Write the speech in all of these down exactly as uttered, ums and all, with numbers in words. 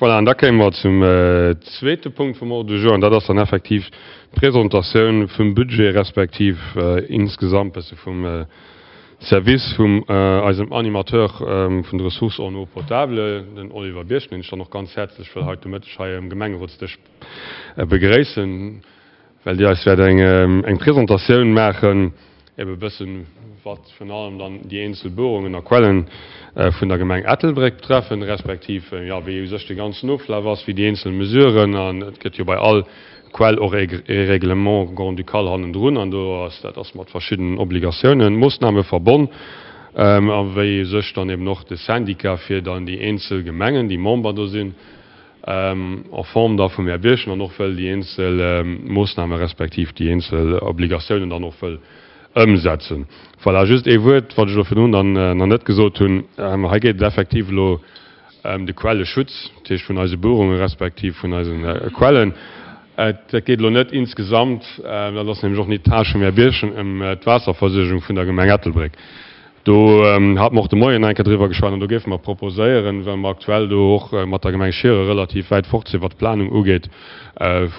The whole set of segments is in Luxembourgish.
Voilà, an da kéime mer zum zweete Punkt vum Ordre du jour, an dat ass dann effektiv d'Presentatioun vum Budget respektiv insgesamt bësse vum Service vum eisem Animateur vun de Ressources en eau potable, den Oliver Birchen, deen ech dann och ganz häerzlech wëll haut de Mëtteg hei um Gemengerotsdësch begréissen, well Dir eis wäert eng Presentatioun maachen, ebe bëssen, wat virun allem dann déi eenzel Buerungen a Quellen vun der Gemeng Ettelbréck betreffen, respektiv, jo, wéi u sech de ganzen Oflaf ass, wéi déi eenzel Mesuren, an et gëtt jo bei all Quell och e Règlement grand-ducal hannendrun, an do ass, dat ass mat verschiddenen Obligatiounen, Moossname verbonn, a wéi u sech dann eben och de Syndicat fir dann déi eenzel Gemengen, déi Member do sinn, en forme da vum Här Birchen, an och wëll déi eenzel Moossname respektiv déi eenzel Obligatiounen dann och wëll ëmsetzen. Voilà, just ee Wuert, wat ech elo virdrun dann nach net gesot hunn. Hei geet et effektiv elo ëm de Quelleschutz, dat heescht vun eise Buerunge respektiv vun eise Quellen. Et geet elo net insgesamt, dat ass nämlech och nit d'Tâche vum Här Birchen, ëm d'Waasserversuergung vun der Gemeng Ettelbréck. Do hate mer och de Moien eng Kéier driwwer geschwat an do géife mer proposéieren, well mer aktuell do och mat der Gemeng Schieren relativ wäit fort sinn, wat d'Planung ugeet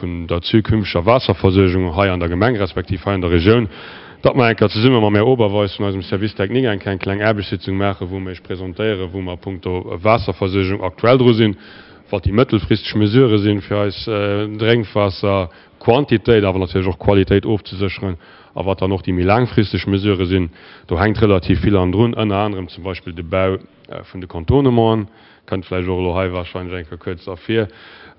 vun der zukünfteger Waasserversuergung hei an der Gemeng respektiv hei an der Regioun, datt mer eng Kéier zesumme mam Här Oberweis vun eisem Service technique eng Kéier eng kleng Aarbechtssitzung maachen, wou mer Iech presentéieren, wou mer punkto Waasserversuergung aktuell dru sinn, wat déi mëttelfristeg Mesurë sinn, fir eis Drénkwaasserquantitéit, awer natierlech och Qualitéit ofzesécheren, a wat dann och déi méi laangfristeg Mesurë sinn. Do hänkt relativ vill hannendrun, ënner anerem zum Beispill de Bau vun de Contournementen, kënnt vläicht och elo hei wahrscheinlech eng Kéier kuerz ervir,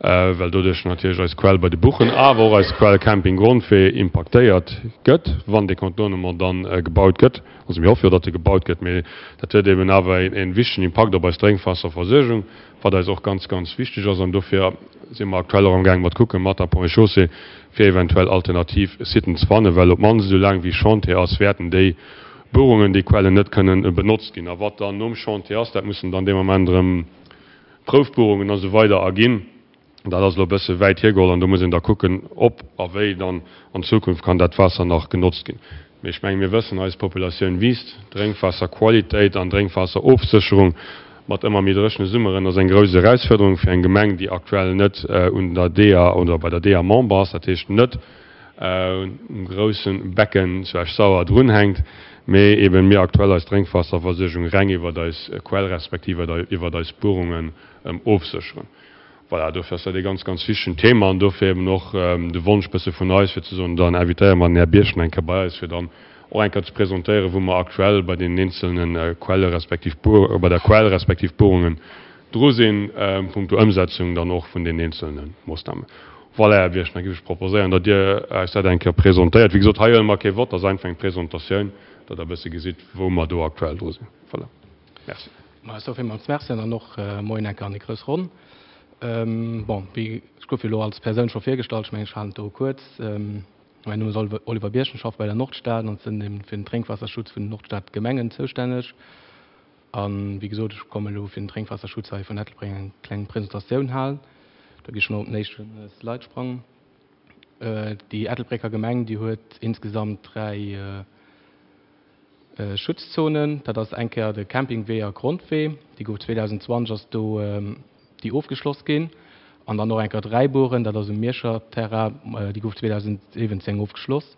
well doduerch natierlech eis Quell bei de Buchen, awer och eis Quell Camping Grondwee impaktéiert gëtt, wann dee Contournement dann gebaut gëtt. Also mir hoffe jo, datt e gebaut gëtt, mee dat huet eben awer e wichtegen Impakt op eis Drénkwaasserversuergung, wat eis och ganz, ganz wichteg ass. An dofir si mer aktuell och amgaang mat kucken, mat der Ponts et Chaussées, fir eventuell alternativ Siten ze fannen, well op d'mannst esou laang wéi Chantier ass, wäerten déi Buerungen, déi Quellen net kënnen benotzt ginn. A wat dann nom Chantier ass, dat mussen dann dee Moment erëm Proufbuerungen a sou weider erginn. Dat ass elo e bësse wäit hiergeholl an do muss een da kucken, ob a wéi dann an Zukunft kann dat Waasser nach genotzt ginn. Mee ech menge mir wëssen, eis Populatioun wiisst, Drénkwaasserqualitéit an Drénkwaasserofsécherung mat ëmmer méi dréchene Summeren ass eng grouss Erausfuerderung fir eng Gemeng, déi aktuell net un der D E A oder bei der D E A Member ass, dat heescht net um grousse Becken zu Esch-Sauer drunhänkt, mee eben mir aktuell eis Drénkwaasserversuergung reng iwwert eis Quell respektiv iwwert eis Buerungen ofsécheren. Voilà, dofir ass dat ee ganz, ganz wichtegen Thema an dofir eben och de Wonsch bësse vun eis, fir ze soen, dann invitéiere mer den Här Birchen eng Kéier bei eis, fir dann och eng Kéier ze presentéieren, wou mer aktuell bei deenen eenzelne Quelle respektiv bei der Quell respektiv Buerungen dru sinn, punkto Ëmsetzung dann och vun den eenzelne Moossnamen. Voilà, Här Birchen, da géif ech proposéieren, datt Dir eis dat eng Kéier presentéiert. Wéi gesot, hei huele mer kee Vott, dat ass einfach eng Presentatioun, datt Der e bësse gesitt, wou mer do aktuell dru sinn. Voilà. Merci. Ma ech soe villmools Merci an dann och Moien eng Kéier an déi grouss Ronn. Bon, wéi ech gouf jo elo als Persoun scho virgestallt, ech mengen, ech halen et do kuerz. Mäin Numm ass Oliver Birchen, ech schaffe bei der Nordstad an sinn eben fir den Drénkwaasserschutz vun den Nordstadgemengen zoustänneg. A wéi gesot, ech komme elo fir den Drénkwaasserschutz hei vun Ettelbréck eng kleng Presentatioun halen. Do gi ech mol op den éischte Slide sprangen. Déi Ettelbrécker Gemeng, déi huet insgesamt dräi Schutzzonen. Dat ass eng Kéier de Campingwee a Grondwee, déi gouf zweedausendzwanzeg ass do déi ofgeschloss ginn. An dann och eng Kéier Dräiburen, dat ass um Mierscher Terrain, déi gouf zweedausensiwwenzéng ofgeschloss.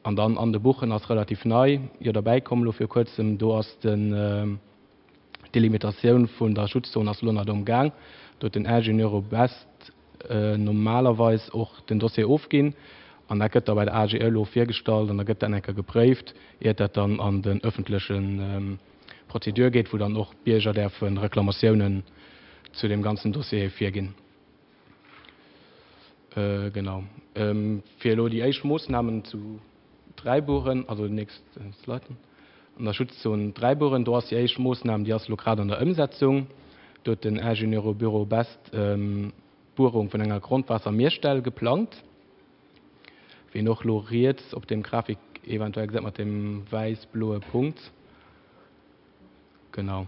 An dann an de Buchen ass relativ nei jo derbäi komm elo vir kuerzem, do ass den d'Delimitatioun vun der Schutzzon ass elo nach am Gaang. Do huet den Ingenieur au Best normalerweis och den Dossier ofginn an dat gëtt da bei der A G E elo virgestallt an da gëtt dat eng Kéier gepréift, iert dat dann an den ëffentleche Prozedur geet, wou dann och Bierger däerfe Reklamatiounen zu dem ganzen Dossier virginn. Genau. Fir elo déi éischt Moossnamen zu Dräiburen, also nächst Slide, an der Schutzzon Dräiburen, do ass déi éischt Moossnam, déi ass elo grad an der Ëmsetzung. Do huet den Ingenieurbüro Best d'Buerung vun enger Grondwaassermierstell geplangt. Wien och elo riets op dem Grafik eventuell gesäit mat dem wäiss-bloe Punkt. Genau.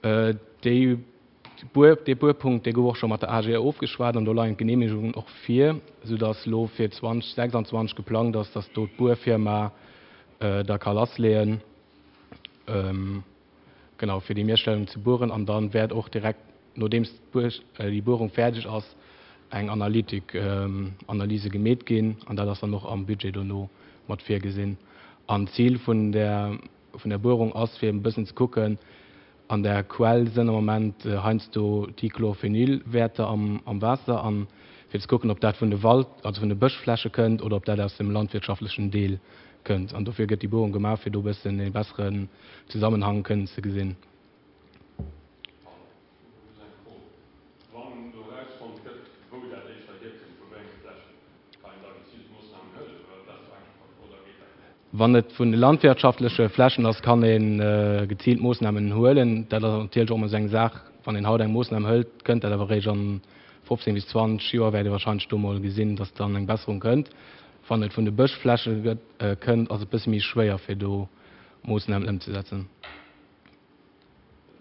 Déi Buer, dee Buerpunkt, dee gouf och scho mat der A G E ofgeschwat an do leien d'Genehmigungen och vir, soudass elo fir zweedausendsechsanzwanzeg geplangt ass, dass do d'Buerfirma da ka lassleeën, genau, fir déi Mierstellung ze bueren. An dann wäert och direkt nodeems déi Buerung fäerdeg ass, eng Analytik, Analyse gemeet ginn an dat ass dann och am Budget dono mat virgesinn. An d'Zil vun där vun der Buerung ass, fir e bëssen ze kucken, an der Quell sënn am Moment heiansdo Dichlorphenyl-Wäerter am am Waasser an fir ze kucken, ob dat vun de Wald, also vun de Bëschfläche kënnt oder ob dat aus dem landwirtschaftlechen Deel kënnt. An dofir gëtt déi Buerung gemaach, fir do e bëssen ee besseren Zesammenhang kënnen ze gesinn. Wann do erausfonnt gëtt, wou dat éischter hierkënnt, vu wéi enge Flächen, kann een da geziilt Moossnamen huelen oder dat ass ze einfach oder geet dat net? Wann et vun de landwirtschaftleche Flächen ass, kann ee geziilt Moossnamen huelen. Dat ass natierlech och ëmmer esou eng Saach, wann een haut eng Moossnam hëlt, kënnt dat awer eréischt an fofzéng bis zwanzeg Joer wäert ee warscheinlech do mol gesinn, datt dann eng Besserung kënnt. Wann et vun de Bëschfläche kënnt, ass et e bësse méi schwéier fir do Moossnamen ëmzesetzen. Den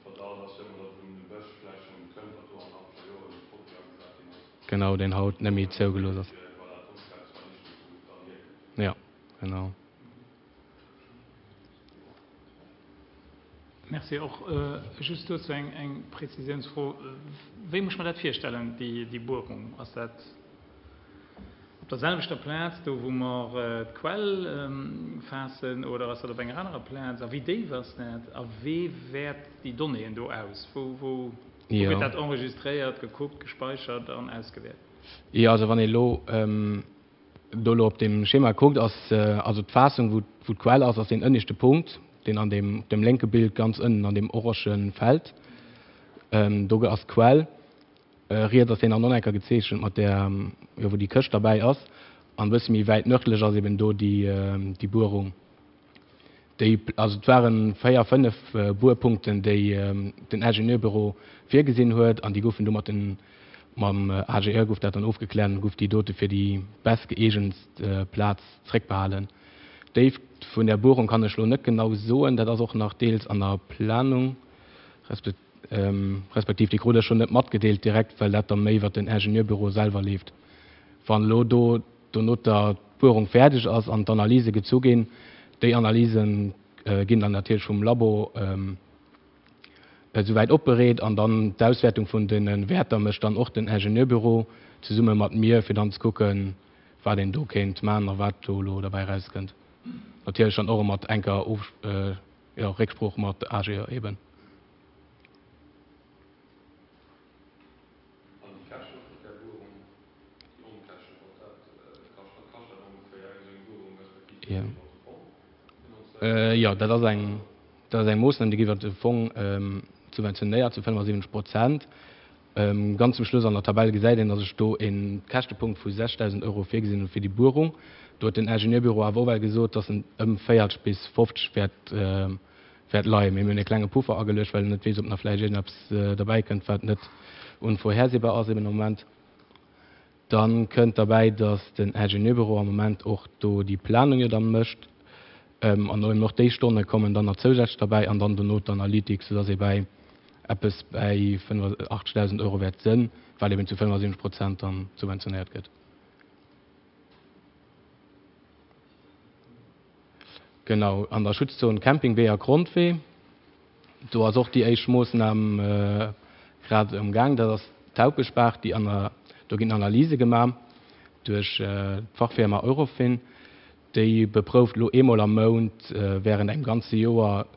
Verdacht ass jo ëmmer, datt et vun de Bëschflächen kënnt, datt do an achter Joren e Produit agesat ginn ass. Genau, deen haut net méi zougelooss ass. Fir voilà, d'Onkraut ze vernichten, wou et dann hierkënnt. Jo, genau. Merci. Och just dozou eng Präzisiounsfro. Wéi muss ech mer dat virstellen, déi Buerung? Ass dat op der selwechter Plaz, do wou mer d'Quell faassen, oder ass dat op enger anerer Plaz? A wéi déif ass dat? A wee wäert déi Donnéeën do aus? Wou, wou gëtt dat enregistréiert, gekuckt, gespeichert an ausgewäert? Jo, also wann ee elo do elo op deem Schema kuckt, ass also d'Faassung, wou d'Quell ass, ass deen ënneschte Punkt, deen an deem, op dem lénke Bild ganz ënnen an deem orange Feld, do ass d'Quell. Riets ass deen dann och nach eng Kéier gezeechent mat där, jo, wou déi Këscht derbäi ass. An e bësse méi wäit nërdlech ass eben do déi, déi Buerung. Déi, also et ware véier, fënnef Buerpunkten, déi den Ingenieurbüro virgesinn huet an déi goufen do mat den, mam A G E gouf dat dann ofgekläert an gouf déi dote fir déi bestgëeegentst Plaz zréckbehalen. D'Déift vun där Buerung kann ech elo net genau soen, dat ass och nach deels an der Planung, respektiv déi krut ech schonn net matgedeelt direkt, well dat da méi iwwert den Ingenieurbüro selwer leeft. Wann elo do dono d'Buerung fäerdeg ass an d'Analyse gezu ginn, déi Analyse ginn dann natierlech vum Labo esouwäit opbereet an dann d'Auswäertung vun de Wäerter mécht dann och den Ingenieurbüro zesumme mat mir, fir dann ze kucken, wat een do kéint maachen a wat do elo derbäi erauskënnt. Natierlech dann och mat enker jo, Récksprooch mat A G E eben. An déi Käschte vun där Buerung, déi Onkäschten, wat dat kascht, wat kascht dat ongeféier, eng esou eng Buerung, respektiv gëtt déi iwwer de Fong finanzéiert? Jo, dat ass eng, dat ass eng Moossnam, déi gëtt iwwer de Fong subventionéiert zu fënnefasiwwenzeg Prozent. Ganz zum Schluss an der Tabell gesäit een, dass ech do e Käschtepunkt vu sechsdausend Euro virgesinn hunn fir déi Buerung. Do huet den Ingenieurbüro awer och well gesot, dass en ëm véierzeg bis fofzeg wäert wäert leien. Mee mir hunn e klenge Puffer ageluecht, well een net weess, ob nach vläicht iergendeppes derbäi kënnt, wat net unvorhersehbar ass eben am Moment. Da kënnt derbäi, dass den Ingenieurbüro am Moment och do déi Planung jo da mécht an eben och déi Stonne kommen dann nach zousätzlech derbäi an dann dono d'Analytik, soudass ee bäi eppes bäi fënnefachtzegdausend Euro wäert sënn, wat eben zu fënnefasiwwenzeg Prozent dann subventionéiert gëtt. Genau, an der Schutzzon Campingwee a Grondwee, do ass och déi éischt Moossnam grad am Gaang, dat ass d'Haupeschbaach, déi an, do ginn Analyse gemaach duerch d'Fachfirma Eurofin. Déi beprouft elo eemol am Mount während engem ganze Joer,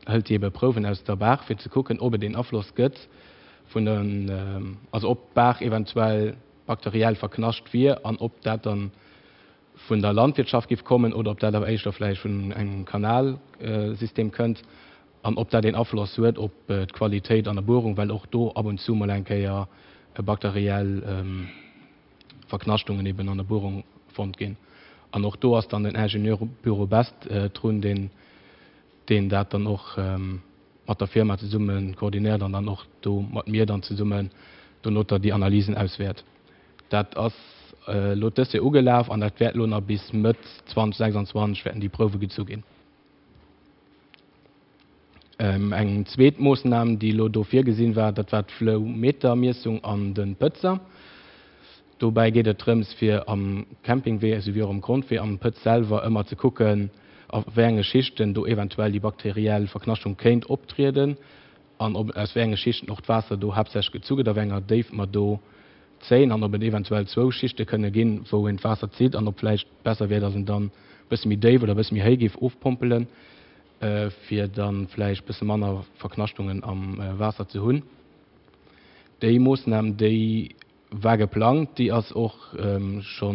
hëlt déi ebe Prouwen aus der Baach, fir ze kucken, ob et een Afloss gëtt vun den, also ob d'Baach eventuell bakteriell verknascht wier an ob dat dann vun der Landwirtschaft géif kommen oder ob dat awer éischter vläicht vun engem Kanalsystem kënnt an ob dat een Afloss huet op d'Qualitéit an der Buerung, well och do ab und zu mol eng Kéier bakteriell Verknaschtungen eben an der Buerung fonnt ginn. An och do ass dann den Ingenieurbüro Best drun, deen deen dat dann och mat der Firma zesumme koordinéiert an dann och do mat mir dann zesummen donoter déi Analysen auswäert. Dat ass elo dëst Joer ugelaf an dat wäert elo nach bis Mëtt zweitausendsechsundzwanzeg wäerten déi Prouwe gezu ginn. Eng zweet Moossnam, déi elo do virgesinn war, dat war d'Flowmetermiessung an de Pëtzer. Dobäi geet et drëms, fir am Campingwee esouwéi och am Grondwee am Pëtz selwer ëmmer ze kucken, a wéi enge Schichten do eventuell déi bakteriell Verknaschtung kéint optrieden. an ob aus wéi enge Schichten och d'Waasser do haaptsächlech gezu gëtt, a wéi enger Déift mer do zéien an ob et eventuell zwou Schichte kënne ginn, wou een d'Waasser zitt an ob vläicht besser wier, datt een dann e bësse méi déif oder e bësse méi héi géif ofpompelen, fir da vläicht e bësse manner Verknaschtungen am Waasser ze hunn. Déi Moossnam, déi war geplangt, déi ass och scho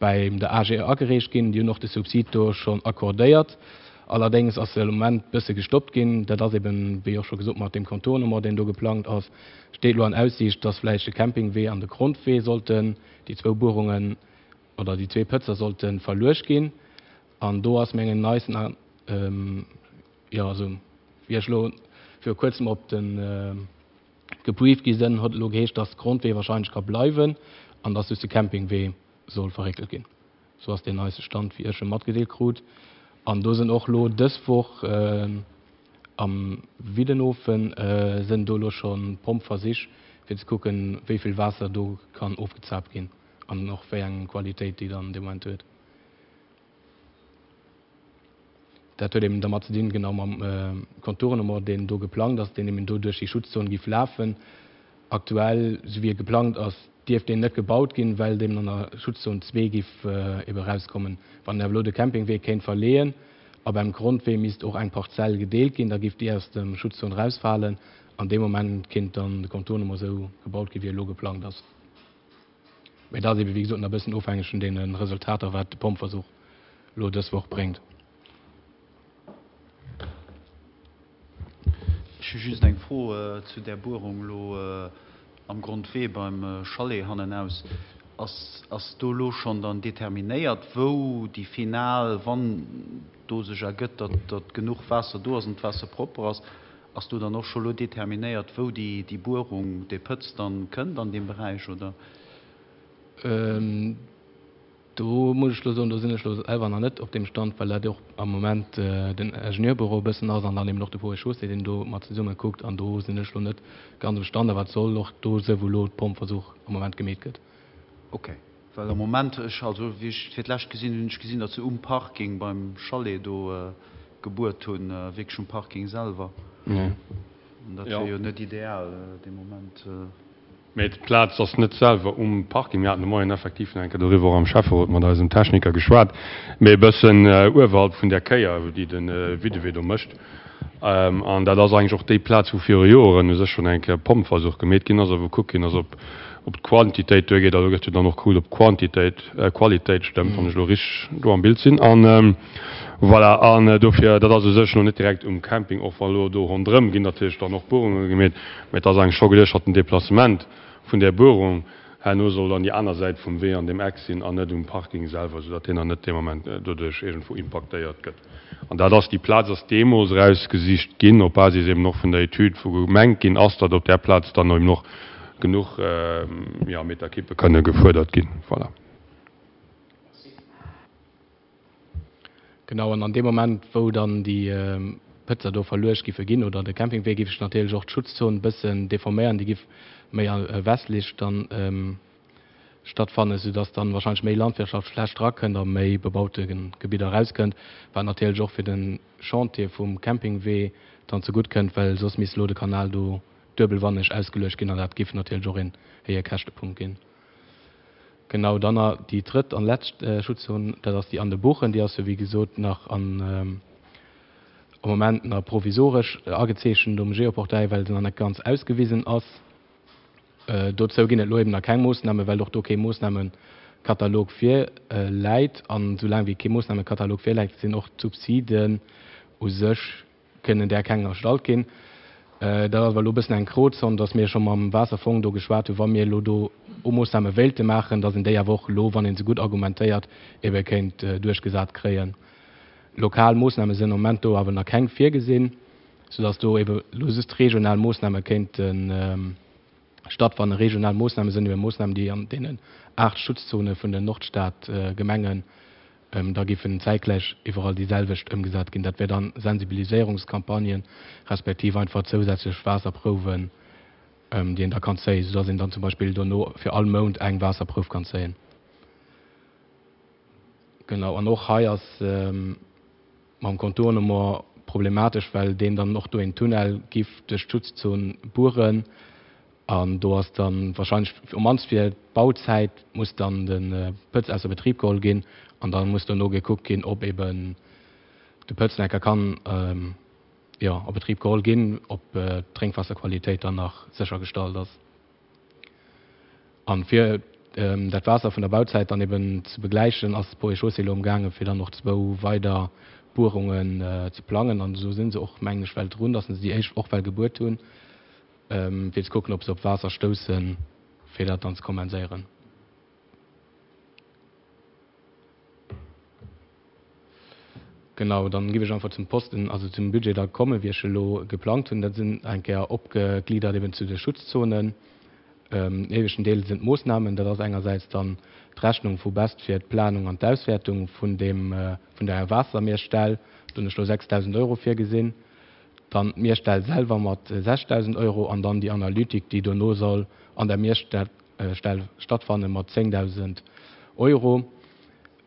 bei der A G E agereecht ginn. Déi hunn och de Subsid do schonn accordéiert. Allerdéngs ass se am Moment bësse gestoppt ginn. Dat ass eben, wéi och scho gesot, mat deem Contournement, deen do geplangt ass, steet elo an Aussiicht, dass vläicht de Campingwee an de Grondwee sollten, déi zwou Buerungen oder déi zwee Pëtzer sollte verluecht ginn. An do ass mengen neisten, jo, also wéi ech elo viru Kuerzem op de gebrieft gi sinn, huet elo geheescht, dass de Grondwee wahrscheinlech ka bleiwen an dass just de Campingwee soll verréckelt ginn. Sou ass deen neiste Stand, wéi ech e matgedeelt krut. An do sinn och elo dës Woch am Widdenhofen sinn do elo scho Pompversich, fir ze kucken, wéi vill Waasser do kann ofgezaapt ginn an och wéi eng Qualitéit déi dann dee Moment huet. Dat huet eben dermat ze dinn, genau mam Contournement, deen do geplangt ass, deen eben do duerch déi Schutzzon giff lafen. Aktuell, esou wéi e geplangt ass, dierft deen net gebaut ginn, well deen an der Schutzzon zwee giff ebe erauskommen. Wann een awer elo de Campingwee kéint verleeën a beim Grondwee misst och eng Parzell gedeelt ginn, da giff déi aus dem Schutzzon erausfalen an dee Moment kéint dann de Contournement esou gebaut ginn, wéi e elo geplangt ass. Mä dat ass ebe wéi gesot nach e bëssen ofhängeg vun deene Resultater, wat de Pompversuch elo dës Woch bréngt. Ech hu just eng Fro zu där Buerung elo am Grondwee beim Chalet hannenaus. Ass, ass do elo schonn dann determinéiert, wou déi final, wann do sech ergëtt, datt, datt genuch Waasser do ass an d'Waasser propper ass, ass do dann och scho elo determinéiert, wou déi, déi Buerung, dee Pëtz dann kënnt an deem Beräich, oder? Do muss ech elo soen, do sinn ech elo selwer nach net op deem Stand, well dat och am Moment den Ingenieurbüro e bëssen ass an dann eben och de Ponts et Chaussées, deen do mat zesumme kuckt. An do sinn ech elo net ganz um Stand, awer et soll och do sou wou elo d'Pompversuch am Moment gemeet gëtt. Ok, well am Moment, ech, also wéi ech fir d'lescht gesinn hunn, hunn ech gesinn, datt se um Parking beim Chalet do gebuert hunn, wierklech um Parking selwer. An dat wier jo net ideal dee Moment. Mee d'Plaz ass net selwer um Parking. Mir haten de Moien effektiv nach eng Kéier doriwwer och am Schäfferot mat eisem Techniker geschwat, mee e bëssen uewerhalb vun där Kéier, déi de Widdewee do mécht. An dat ass eigentlech och déi Plaz, wou viru Joeren u sech schonn eng Kéier e Pompversuch gemeet ginn ass a wou gekuckt ginn ass, ob d'Quantitéit duergeet. A do gëtt jo dann och gekuckt, ob d'Quantitéit, Qualitéit stëmmt, wann ech elo richteg do am Bild sinn. An voilà, an dofir, dat ass u sech elo net direkt um Camping, och wa elo do ronderëm ginn natierlech dann och Buerunge gemeet, Mä et ass eigentlech scho geduecht, datt den Deplacement vun där Buerung herno soll an déi aner Säit vum Wee an deem Eck sinn an net um Parking selwer, soudatt deen dann net dee Moment doduerch iergendwou impaktéiert gëtt. An dat ass, déi Plaz ass deemools erausgesicht ginn op Basis eben och vun der Etüd, wou gemengt ginn ass, datt op där Plaz dann eben och genuch, jo, Meterkippe kënne gefuerdert ginn. Voilà. Genau, an an deem Moment, wou dann déi Pëtzer do verluecht giffe ginn oder de Campingwee, giff sech natierlech och d'Schutzzon e bëssen deforméieren, déi giff méi westlech dann stattfannen, soudass dann wahrscheinlech méi Landwirtschaftsfläch drakënnt a méi bebaute Gebidder erauskënnt, wat natierlech och fir de Chantier vum Campingwee dann zegutt kënnt, well soss misst elo de Kanal do duebelwanneg ausgeluecht ginn an dat giff natierlech och een héije Käschtepunkt ginn. Genau, dann nach déi drëtt an lescht Schutzzon, dat ass déi an de Buchen. Déi ass jo wéi gesot nach an, am Moment nach provisoresch agezeechent um Geoportail, well se nach net ganz ausgewisen ass. Dozou ginn et elo eben nach keng Moossnamen, well och do kee Moossnamekatalog virläit. An soulaang wéi kee Moossnamekatalog virläit, sinn och d'Subsiden u sech kënnen där keng erstallt ginn. Dat ass awer elo e bëssen eng Grozon, datt mir scho mam Waasserfong do geschwat hunn, wa mir elo do Moossname wéilte maachen, datt een déi awer och elo, wann ee se gutt argumentéiert, ebe kéint duerchgesat kréien. Lokal Moossname sinn am Moment do awer nach keng virgesinn, soudatt do ebe elo just regional Moossname kéinte stattfannen. Regional Moossname sinn ebe Moossnamen, déi an deenen aacht Schutzzone vun den Nordstadgemengen Da géifen zäitgläich iwwerall déi selwecht ëmgesat ginn. Dat wär dann Sensibiliséierungscampagnen, respektiv einfach zousätzlech Waasserprouwen, déi een da kann zéien, soudass een dann zum Beispill dono fir all Mount eng Waasserprouf kann zéien. Genau, an och hei ass mam Contournement problematesch, well deen dann och do een Tunnel giff duerch d'Schutzzon bueren an do ass dann wahrscheinlech um mannst fir d'Bauzäit muss dann de Pëtz ausser Betrib geholl ginn an da muss dono gekuckt ginn, ob eben de Pëtz nach enker kann jo a Betrib geholl ginn, ob d'Drénkwaasserqualitéit dann nach séchergestallt ass. An fir dat Waasser vun der Bauzäit dann eben ze begläichen, ass d'Ponts et Chaussées elo amgaangen, fir dann och zwou weider Buerungen ze plangen. An esou si se och, mengen ech, well drun, datt se déi éischt och well gebuert hunn, fir ze kucken, ob se op Waasser stoussen, fir dat dann ze kompenséieren. Genau, dann giff ech einfach zum Posten, also zum Budget da kommen, wéi ech elo geplangt hunn. Dat sinn eng Kéier opgegliddert eben zu de Schutzzonen. Den éischten Deel sinn d'Moossnamen. Dat ass engersäits dann d'Rechnung vu Best fir d'Planung an d'Auswäertung vun deem, vun der Waassermierstell. Do hunn ech elo sechstausend Euro virgesinn. Dann d'Mierstell selwer mat sechstausend Euro an dann déi Analytik, déi dono soll an der Mierstell stattfanne mat zéngdausend Euro.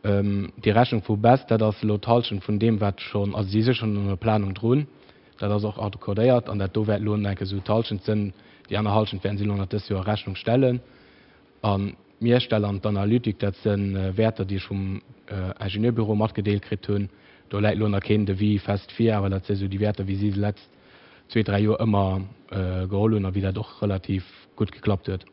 Déi Rechnung vu Best, dat ass elo d'Hallschent vun deem, wat schonn, also si si schonn un der Planung drun, dat ass och accordéiert an dat do wäert elo enke sou d'Hallschent sënn. Déi aner Hallschent wäerten si elo nach dëst Joer a Rechnung stellen. An d'Mierstell an d'Analytik, dat si Wäerter, déi ech vum Ingenieurbüro matgedeelt kritt hunn. Do läit elo nach keen Devis fest vir, awer dat si sou déi Wäerter, wéi si se letzt zwee, dräi Joer ëmmer geholl hunn a wéi dat och relativ gutt geklappt huet.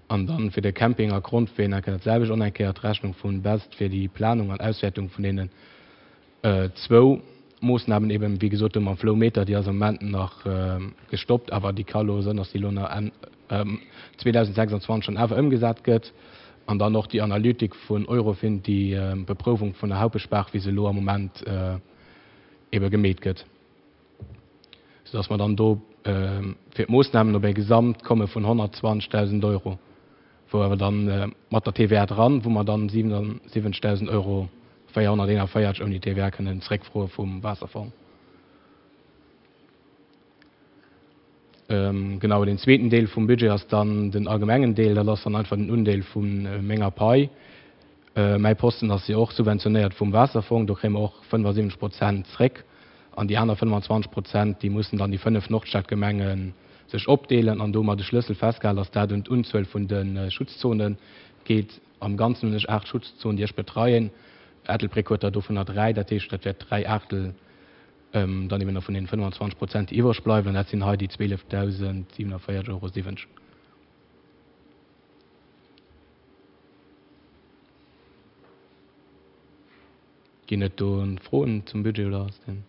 An dann fir de Camping a Grondween enke dat selwecht, och eng Kéier d'Rechnung vun Best fir déi Planung an Auswäertung vun deenen zwou Moossnamen eben, wéi gesot, do mam Flowmeter, déi ass am Moment nach gestoppt, awer déi ka lo sënn, dass déi lo nach Enn zweedausendsechsundzwanzeg schonn awer ëmgesat gëtt. An dann och déi Analytik vun Eurofin, déi Beprouwung vun der Haupeschbaach, wéi se elo am Moment ebe gemeet gëtt. Soudass mer dann do fir d'Moossnamen op e Gesamtkomme vun honnertzwanzegdausend Euro, wou awer dann mat der T V A dran, wou mer dann siwenundsiwwenzegdausend Euro véierhonnerteenanvéierzeg ouni T V A kënnen zréckfroe vum Waasserfong. Genau, deen zweeten Deel vum Budget ass dann den allgemengen Deel, dat ass dann einfach den Undeel vu menger Pai. Mäi Posten ass jo och subventionéiert vum Waasserfong, do kréie mer och fënnefasiwwenzeg Prozent zréck. An déi aner fënnefenzwanzeg Prozent, déi mussen dann déi fënnef Nordstadgemenge sech opdeelen. An do hu mer de Schlëssel festgehalen, dass dat un d'Unzuel vun de Schutzzone geet. Am Ganzen hunn ech aacht Schutzzonen, déi ech betreien. Ettelbréck huet der dovunner dräi, dat heescht, dat wäert dräi Aachtel dann eben nach vun deenen fënnefenzwanzeg Prozent, déi iwwreg bleiwen. An dat sinn hei déi zwielefdausendsiwenavéierg Euro siwwenzeg. Ginn et do Froen zum Budget oder ass deen?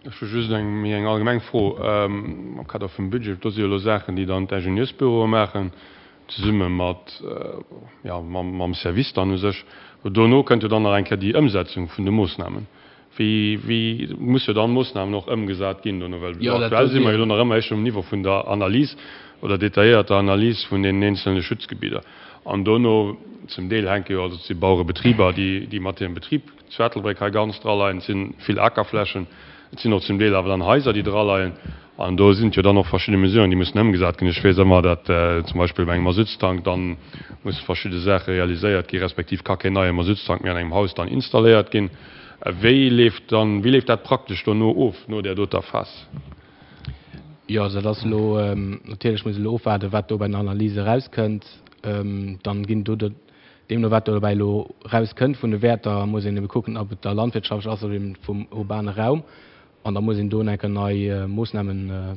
Ech hu just eng méi eng allgemeng Fro am Kader vum Budget. Do si jo elo Saachen, déi dann d'Ingenieursbüroe maachen, zesumme mat, jo, mam Service dann u sech. Dono kënnt jo dann nach eng Kéier déi Ëmsetzung vun de Moossnamen. Wéi, wéi muss jo dann Moossnamen och ëmgesat ginn dono? Well aktuell si mer jo elo nach ëmmer éischter um Niveau vun der Analys oder detailléierter Analys vun deenen eenzelne Schutzgebidder. An dono, zum Deel hänke jo, also et si Bauerebetriber, déi, déi mat hirem Betrib zu Ettelbréck hei ganz draleien, et si vill Akerflächen, et sinn och zum Deel awer dann Haiser, déi draleien. An do sinn et jo dann och verschidde Mesuren, déi mussen ëmgesat ginn. Ech weess ëmmer, datt zum Beispill bei engem Masuttstank dann musse verschidde Saache realiséiert gi respektiv ka keen neie Masuttstank méi an engem Haus dann installéiert ginn. Wéi leeft dann, wéi leeft dat praktesch dono of, no där doter Phas? Jo, also dat ass elo, natierlech muss elo ofwaarden, wat do bei den Analyse erauskënnt. Dann ginn do, deemno wat do dobäi elo erauskënnt vun de Wäerter, muss een ebe kucken, ob et da landwirtschaftlech ass oder eben vum urbane Raum. An da muss een do enker nei Moossname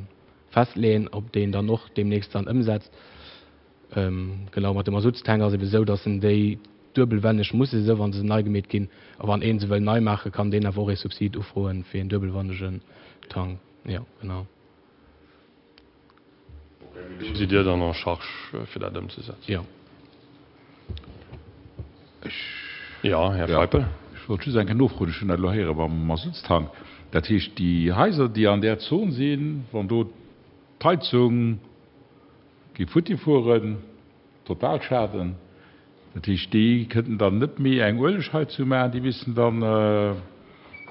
festleeën, ob deen dann och deemnächst dann ëmsetzt. Genau, mat de Masuttstank ass ebe sou, datt en déi duebelwänneg musse sou, wa se nei gemeet ginn. A wann ee se wëll nei maachen, kann deen awer och ee Subsid ufroen fir een duebelwannegen Tank. Jo, genau. Do sidd Dir dann en charge, fir dat ëmzesetzen? Jo. Jo, Här Feipel. Ech wollt just eng Kéier nofroen, ech hunn dat elo héiere mam Masuttstank. Dat heescht, déi Haiser, déi an där Zon sinn, wann do d'Heizung géif futti fueren, Totalschaden, dat heescht, déi kënnten dann net méi eng Uelegheizung maachen, déi missten dann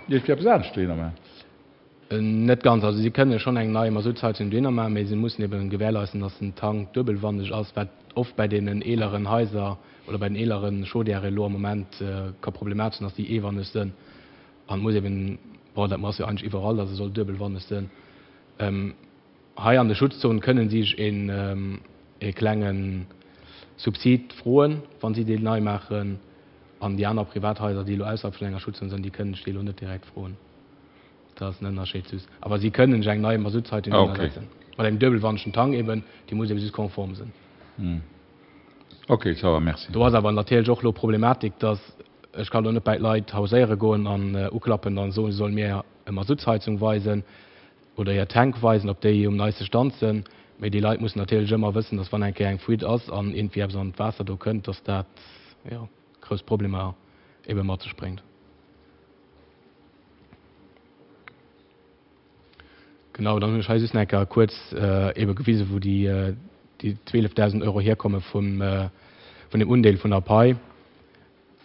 iergendwéi eppes anescht dohinner maachen? Net ganz. Also si kënne schonn eng nei Masuttsheizung dohinner maachen, mee si mussen eben gewährleisten, dass den Tank duebelwandeg ass, wat oft bei deenen eeleren Haiser oder bei den eelere Chaudièrë elo am Moment ka problematesch sinn, dass déi eewanneg sënn. An et muss eben, bon, dat ass jo eigentlech iwwerall, dass e soll duebelwanneg sënn. Hei an de Schutzzone kënnen si sech een e klenge Subsid froen, wa si déi nei maachen. An déi aner Privathaiser, déi elo ausserhalb vun enger Schutzzon sënn, déi kënnen sech déi elo net direkt froen. Dat ass en Ënnerscheed just. Awer si kënnen sech eng nei Masuttsheizung Ah, okay. ënnersetzen. Mat engem duebelwandegen Tank eben, déi muss eben just konform sinn. Ok, ça va, merci. Do ass awer natierlech och elo Problematik, dass ech kann elo net bäi d'Leit hauséiere goen an uklappen an soen, se solle mir e Masuttsheizung weisen oder hir Tank weisen, ob déi um neiste Stand sinn. Mee déi Leit mussen natierlech ëmmer wëssen, dass wann eng Kéier eng Fuite ass an iergendwéi eppes an d'Waasser do kënnt, dass dat, jo, grouss Problemer ebe mat sech bréngt. Genau, dann hunn ech hei just nach eng Kéier kuerz ebe gewisen, wou déi déi zwielefdausend Euro hierkomme vum vun dem Undeel vun der Pai.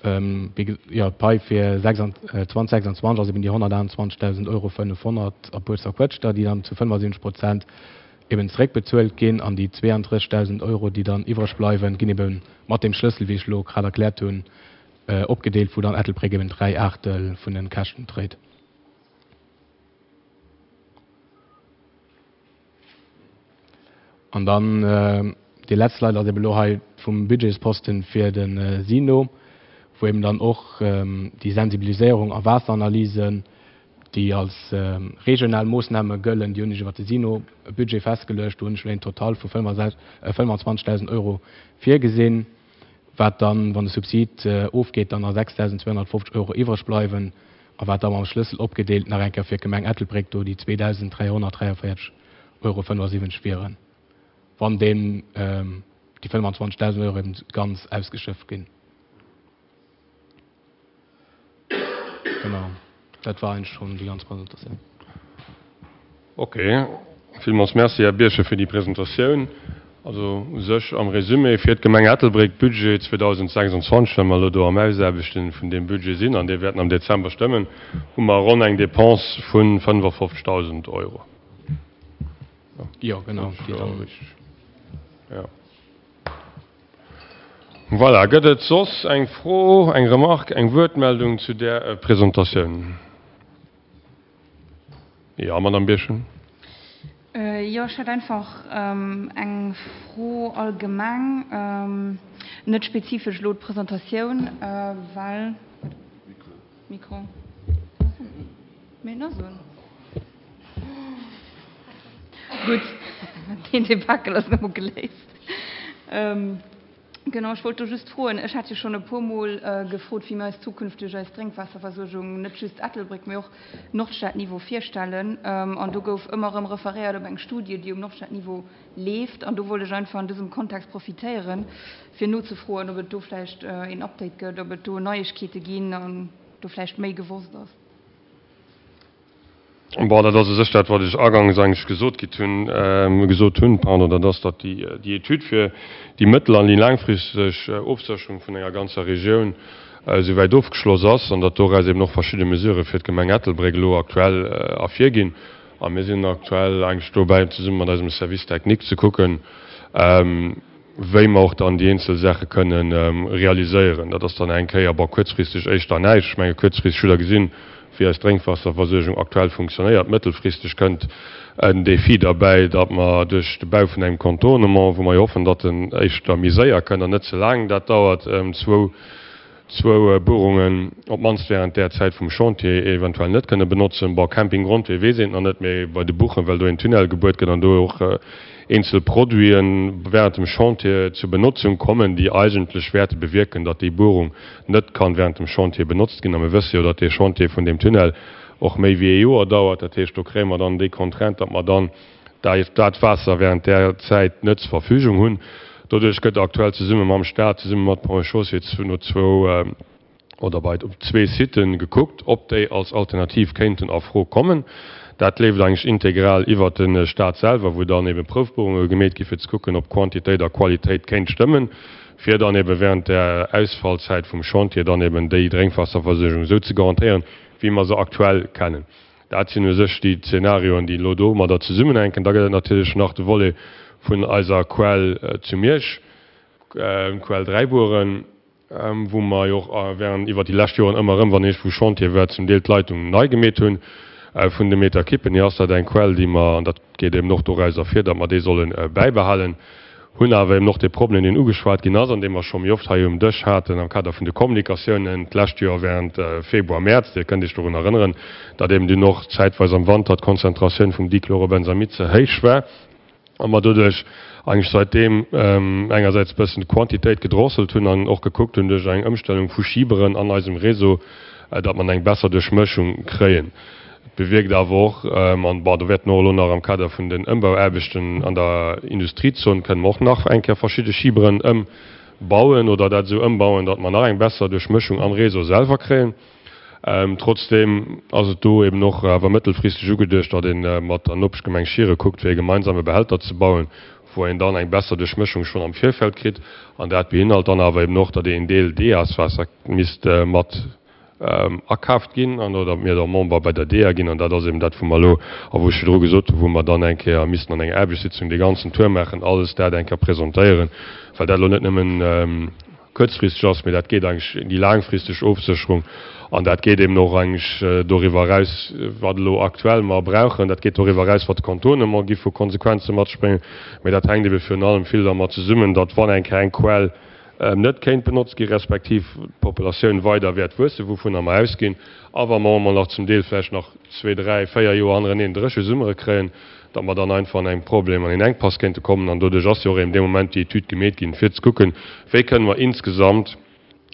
Wéi ge, jo, d'Pai fir zwanzeg sechsundzwanzeg ass eben déi honnertaachtundzwanzegdausend Euro fënnefhonnert a puer zerquëtschter, déi dann zu fënnefasiwwenzeg Prozent eben zeréckbezuelt ginn, an déi zweeanddrëssigdausend Euro, déi dann iwwreg bleiwen, ginn ebe mat deem Schlëssel, wéi ech elo grad erkläert hunn, opgedeelt, wou dann Ettelbréck eben dräi Aachtel vun den Käschten dréit. An dann déi letzt Slide ass eben elo hei vum Budgetsposten fir de SINO, wou eben dann och déi Sensibiliséierung a Waasseranalysen, déi als regional Moossname gëllen, déi hunn ech iwwer de SINO-Budget festgeluecht. Do hunn ech elo een Total vu fënnfundzwanzegdausend Euro virgesinn, wat dann, wann de Subsid ofgeet, dann nach sechstausendzweehonnertfofzeg Euro iwwreg bleiwen a wat da mam Schlëssel opgedeelt nach eng Kéier fir d'Gemeng Ettelbréck do déi zweetausenddräihonnertdräiundvéierzeg Euro fënnefundsiwwenzeg wieren, wann deen déi fënnfundzwanzegdausend Euro eben ganz ausgeschöpft ginn. Genau, dat war eigentlich schon déi ganz Presentatioun. Ok, villmools Merci, Här Birchen, fir déi Presentatioun. Also u sech am Résumé fir d'Gemeng Ettelbréck, Budget zweetausendsechsundzwanzeg, well mer elo do am Ausaarbechten vun deem Budget sinn an dee wäerten am Dezember stëmmen, hu mer ronn eng Dépense vu fënnefofzegdausend Euro. Jo, genau, déi dann. Jo. Voilà, gëtt et soss eng Fro, eng Remarque, eng Wuertmeldung zu där Presentatioun? Jo, Madame Birchen. Jo, ech hätt einfach eng Fro allgemeng, net spezifesch elo d'Presentatioun, well. Mikro. Mee en ass un. Gutt, deen Debakel ass elo geléist. Genau, ech wollt do just froen, ech hat jo schonn e puermol gefrot, wéi mir eis zukünfteg eis Drénkwaasserversuergung, net just Ettelbréck, mee och Nordstadniveau virstellen. An do gouf ëmmer erëm referéiert op eng Studie, déi um Nordstadniveau leeft. An do wollt ech einfach an dësem Kontext profitéieren, fir nozefroen, ob et do vläicht een Update gëtt, ob et do Neiegkeete ginn an do vläicht méi gewosst ass. Bon, dat ass u sech dat, wat ech agangs eigentlech gesot gitt hunn, gesot hunn, pardon, dat ass, datt déi, déi Etüd fir déi mëttel an déi laangfristeg Ofsécherung vun enger ganzer Regioun esouwäit ofgeschloss ass an datt doraus eben och verschidde Mesurë fir d'Gemeng Ettelbréck elo aktuell ervirginn. A mir sinn aktuell eigentlech dobäi, zesumme mat eisem Service technique ze kucken, wéi mer och dann déi eenzel Saache kënnen realiséieren. Dat ass dann eng Kéier, bon, kuerzfristeg éischter näischt. Ech menge kuerzfristeg hutt Der gesinn, wéi eis Drénkwaasserversuergung aktuell funktionéiert. Mëttelfristeg kënnt en Défi derbäi, datt mer duerch de Bau vun engem Contournement, wou mer jo hoffen, datt en éischter méi séier kënnt an net ze laang dat dauert, zwou zwou Buerungen op d'mannst während där Zäit vum Chantier eventuell net kënne benotzen. Bon, Camping Grondwee weess een et nach net, mee bei de Buchen, well do een Tunnel gebuert gëtt an do och eenzel Produiten während dem Chantier zur Benotzung kommen, déi eigentlech wäerte bewierken, datt déi Buerung net kann während dem Chantier benotzt ginn. A mir wësse jo, datt dee Chantier vun deem Tunnel och méi wéi ee Joer dauert. Dat heescht, do kréie mer dann déi Contrainte, datt mer dann dat Waasser während där Zäit net zur Verfügung hunn. Doduerch gëtt aktuell zesumme mam Stat, zesumme mat Ponts et Chaussées no zwou oder bei op zwee Siten gekuckt, ob déi als Alternativ kéinten a Fro kommen. Dat leeft eigentlech integral iwwert de Stat selwer, wou dann ebe Proufbuerunge gemeet gi fir ze kucken, ob Quantitéit a Qualitéit kéint stëmmen, fir dann ebe während der Ausfallzäit vum Chantier dann eben déi Drénkwaasserversuergung esou ze garantéieren, wéi mer se aktuell kennen. Dat sinn u sech déi Zenarioen, déi elo domadder zesummenhänken. Da gëtt et natierlech nach de Volet vun eiser Quell zu Miersch, Quell Dräibueren, wou mer jo och während iwwert déi lescht Joren ëmmer erëm, wann iergendwou Chantier war, zum Deel d'Leitung nei gemeet hunn vun de Meterkippen hier ass dat eng Quell, déi mer, an dat geet eben och doraus ervir, datt mer déi solle bäibehalen, hunn awer eben och dee Problem, deen ugeschwat ginn ass an dee mer scho méi oft hei um Dësch haten am Kader vun de Kommunikatiounen d'lescht Joer während Februar, Mäerz, Dir kënnt Iech dorun erënneren, datt eben dunn och zäitweis am Wanter d'Konzentratioun vum Dichlorobenzamid ze héich war. A mer doduerch eigentlech säitdeem engersäits e bëssen d'Quantitéit gedrosselt hunn an och gekuckt hunn duerch eng Ëmstellung vu Schiberen an eisem Réseau, datt mer eng besser Duerchmëschung kréien. Et bewierkt awer och, an bon, do wäerte mer och elo nach am Kader vun den Ëmbauaarbechten an der Industriezon kënne mer och nach eng Kéier verschidde Schiberen ëmbauen oder dat esou ëmbauen, datt mer nach eng besser Duerchmëschung am Réseau selwer kréien. Trotzdeem ass et do eben och awer mëttelfristeg ugeduecht, datt ee mat der Nopeschgemeng Schiere kuckt, fir e gemeinsame Behälter ze bauen, wou een dann eng besser Duerchmëschung schonn am Virfeld kritt. An dat beinhalt dann awer eben och, datt een Deel DEAS-Waasser misst mat akaaft ginn an oder mir da Member bei der DEA ginn. An dat ass eben dat, wou mer elo, a wou ech virdru gesot hunn, wou mer dann eng Kéier missten an enger Aarbechtssitzung dee ganzen Tour maachen, alles dat eng Kéier presentéieren, well dat elo net nëmmen kuerzfristeg ass, mee dat geet eigentlech déi laangfristeg Ofsécherung an dat geet eben och eigentlech doriwwer eraus, wat elo aktuell mer brauchen. Dat geet doriwwer eraus, wat de Contournement gi vu Konsequenze mat sech bréngen, mee dat hänkt ebe virun allem vill dermat zesummen, datt wann eng Kéier eng Quell net kéint benotzt gi respektiv d'Populatioun weider wäert wuessen, wouvunner mer ausginn, a wa mer emol nach zum Deel vläicht nach zwee, dräi, véier Joer hannereneen dréche Summere kréien, datt mer dann einfach an engem Problem, an een Enkpass kéinte kommen. An doduerch ass jo och eben dee Moment déi Etüd gemeet ginn, fir ze kucken, wéi kënnen mer insgesamt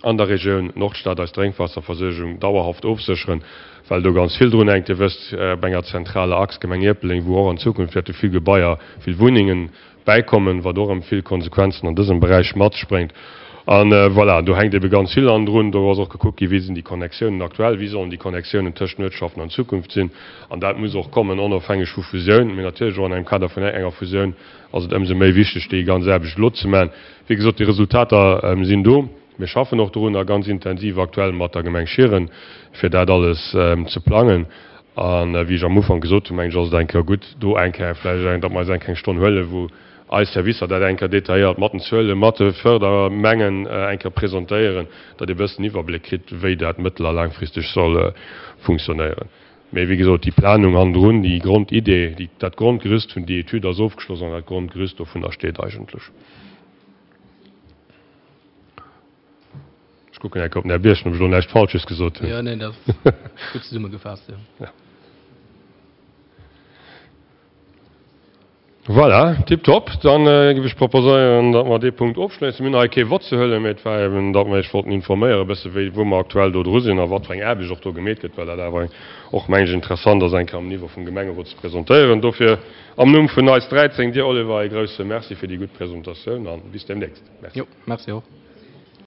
an der Regioun Nordstad eis Drénkwaasserversuergung dauerhaft ofsécheren, well do ganz vill drun hänkt. Dir wësst, op enger zentraler Achs, Gemeng Ierpeldeng, wou och an Zukunft wäerte vill Gebaier, vill Wunnengen bäikommen, wat och erëm vill Konsequenzen an dësem Beräich mat sech bréngt. A voilà, do hänkt ebe ganz vill hannendrun. Do ass och gekuckt ginn, wéi sinn déi Connectiounen aktuell, wéi sollen déi Connectiounen tëscht den Uertschaften an Zukunft sinn. An dat muss och kommen, onofhängeg vu Fusioun. Mee natierlech och an engem Kader vun enger Fusioun ass et ëmsou méi wichteg, déi ganz Aarbecht elo ze maachen. Wéi gesot, déi Resultater sinn do. Mir schaffen och dorunner ganz intensiv aktuell mat der Gemeng Schieren, fir dat alles ze plangen. A wéi ech am Ufank gesot hunn, mengen ech, ass et eng Kéier gutt, do eng Kéier vläicht eng, datt mer eis eng kleng Stonn huelen, wou eis Servicer dat eng Kéier detailléiert mat den Zuelen, mat de Fördermengen eng Kéier presentéieren, datt ee bëssen Iwwerbléck kritt, wéi dat mëttel a laangfristeg soll funktionéieren. Mee wéi gesot, déi Planung hannendrun, déi Grondidee, déi, dat Grondgerüst vun déi Etüd ass ofgeschloss an dat Grondgerüst dovunner steet eigentlech. Ech kucken eng Kéier op den Här Birchen, ob ech elo näischt Falsches gesot hunn. Jo, neen, dat ass gutt zesummegefaasst, jo. Ja. Voilà, tiptop. Dann géif ech proposéieren, datt mer dee Punkt ofschléissen. Mir hunn hei kee Vott ze huelen, mee et war eben, datt mer Iech wollten informéieren e bësse wéi, wou mer aktuell do dru sinn a wat fir eng Aarbecht och do gemeet gëtt, well dat awer och, meng ech, interessant ass, eng Kéier am Niveau vum Gemengerot ze presentéieren. Dofir am Numm vun eis dräizéng, dir Oliver, e grouse Merci fir déi gutt Presentatioun a bis deemnächst. Merci. Jo, merci och.